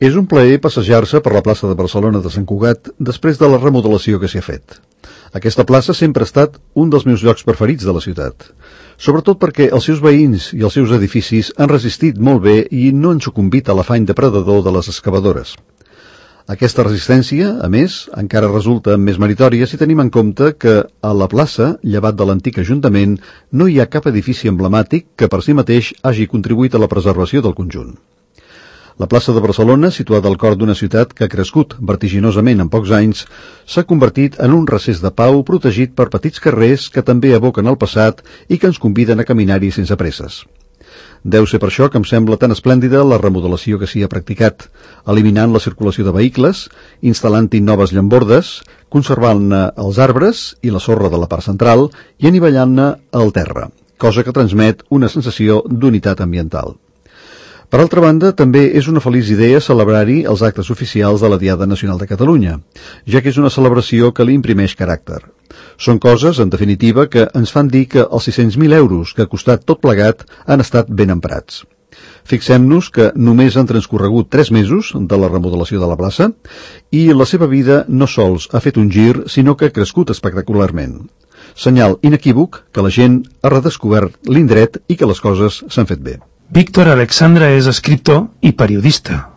És un plaer passejar-se per la plaça de Barcelona de Sant Cugat després de la remodelació que s'hi ha fet. Aquesta plaça sempre ha estat un dels meus llocs preferits de la ciutat, sobretot perquè els seus veïns i els seus edificis han resistit molt bé i no han sucumbit a l'afany depredador de les excavadores. Aquesta resistència, a més, encara resulta més meritòria si tenim en compte que a la plaça, llevat de l'antic Ajuntament, no hi ha cap edifici emblemàtic que per si mateix hagi contribuït a la preservació del conjunt. La plaça de Barcelona, situada al cor d'una ciutat que ha crescut vertiginosament en pocs anys, s'ha convertit en un recés de pau protegit per petits carrers que també evoquen el passat i que ens conviden a caminar-hi sense presses. Deu ser per això que em sembla tan esplèndida la remodelació que s'hi ha practicat, eliminant la circulació de vehicles, instal·lant-hi noves llambordes, conservant-ne els arbres i la sorra de la part central i anivellant-ne el terra, cosa que transmet una sensació d'unitat ambiental. Per altra banda, també és una feliç idea celebrar-hi els actes oficials de la Diada Nacional de Catalunya, ja que és una celebració que li imprimeix caràcter. Són coses, en definitiva, que ens fan dir que els 600.000 euros que ha costat tot plegat han estat ben emprats. Fixem-nos que només han transcorregut 3 mesos de la remodelació de la plaça i la seva vida no sols ha fet un gir, sinó que ha crescut espectacularment. Senyal inequívoc que la gent ha redescobert l'indret i que les coses s'han fet bé. Víctor Alexandra és escriptor i periodista.